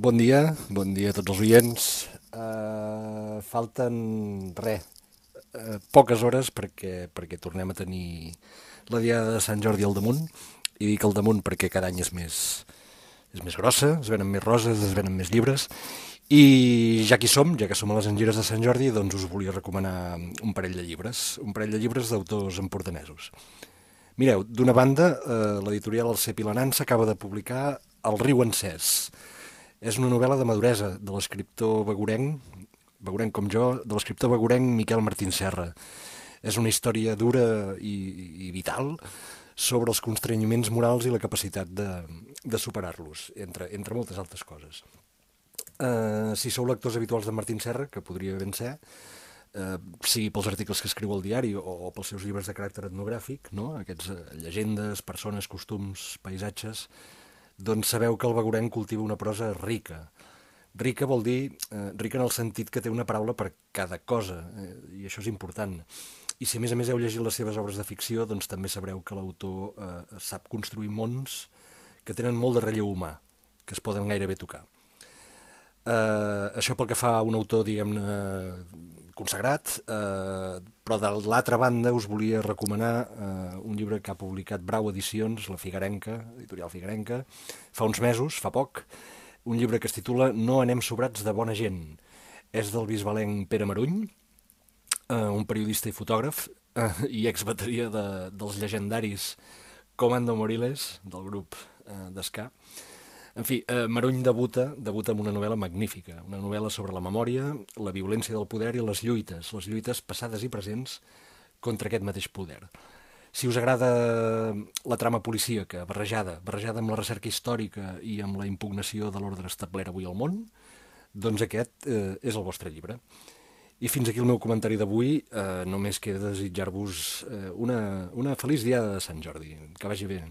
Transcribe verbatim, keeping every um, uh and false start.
Bon dia, bon dia a tots els oients. Uh, falten res, uh, poques hores perquè, perquè tornem a tenir la Diada de Sant Jordi al damunt. I dic al damunt perquè cada any és més, és més grossa, es venen més roses, es venen més llibres. I ja que hi som, ja que som a les Engires de Sant Jordi, doncs us volia recomanar un parell de llibres, un parell de llibres d'autors empordanesos. Mireu, d'una banda, eh, l'editorial El Cep i la Nansa acaba de publicar El riu encès. És una novel·la de maduresa de l'escriptor begurenc, begurenc com jo, de l'escriptor begurenc Miquel Martín Serra. És una història dura i, i vital sobre els constrenyiments morals i la capacitat de, de superar-los, entre, entre moltes altres coses. Uh, si sou lectors habituals de Martín Serra, que podria ben ser, uh, sigui pels articles que escriu al diari o, o pels seus llibres de caràcter etnogràfic, no? Aquests uh, llegendes, persones, costums, paisatges, doncs sabeu que el begurenc cultiva una prosa rica. Rica vol dir, eh, rica en el sentit que té una paraula per cada cosa, eh, i això és important. I si a més a més heu llegit les seves obres de ficció, doncs també sabreu que l'autor eh, sap construir mons que tenen molt de relleu humà, que es poden gairebé tocar. Uh, això pel que fa a un autor, diguem-ne, consagrat, uh, però de l'altra banda us volia recomanar uh, un llibre que ha publicat Brau Edicions, la Figuerenca, editorial Figuerenca, fa uns mesos, fa poc, un llibre que es titula No anem sobrats de bona gent. És del bisbalenc Pere Maruny, uh, un periodista i fotògraf, uh, i exbateria de, dels llegendaris Comando Moriles, del grup uh, d'esca. En fi, eh, Maruny debuta, debuta amb una novel·la magnífica, una novel·la sobre la memòria, la violència del poder i les lluites, les lluites passades i presents contra aquest mateix poder. Si us agrada la trama policíaca, barrejada, barrejada amb la recerca històrica i amb la impugnació de l'ordre establert avui al món, doncs aquest eh, és el vostre llibre. I fins aquí el meu comentari d'avui, eh, només queda desitjar-vos eh, una, una feliç dia de Sant Jordi. Que vagi bé.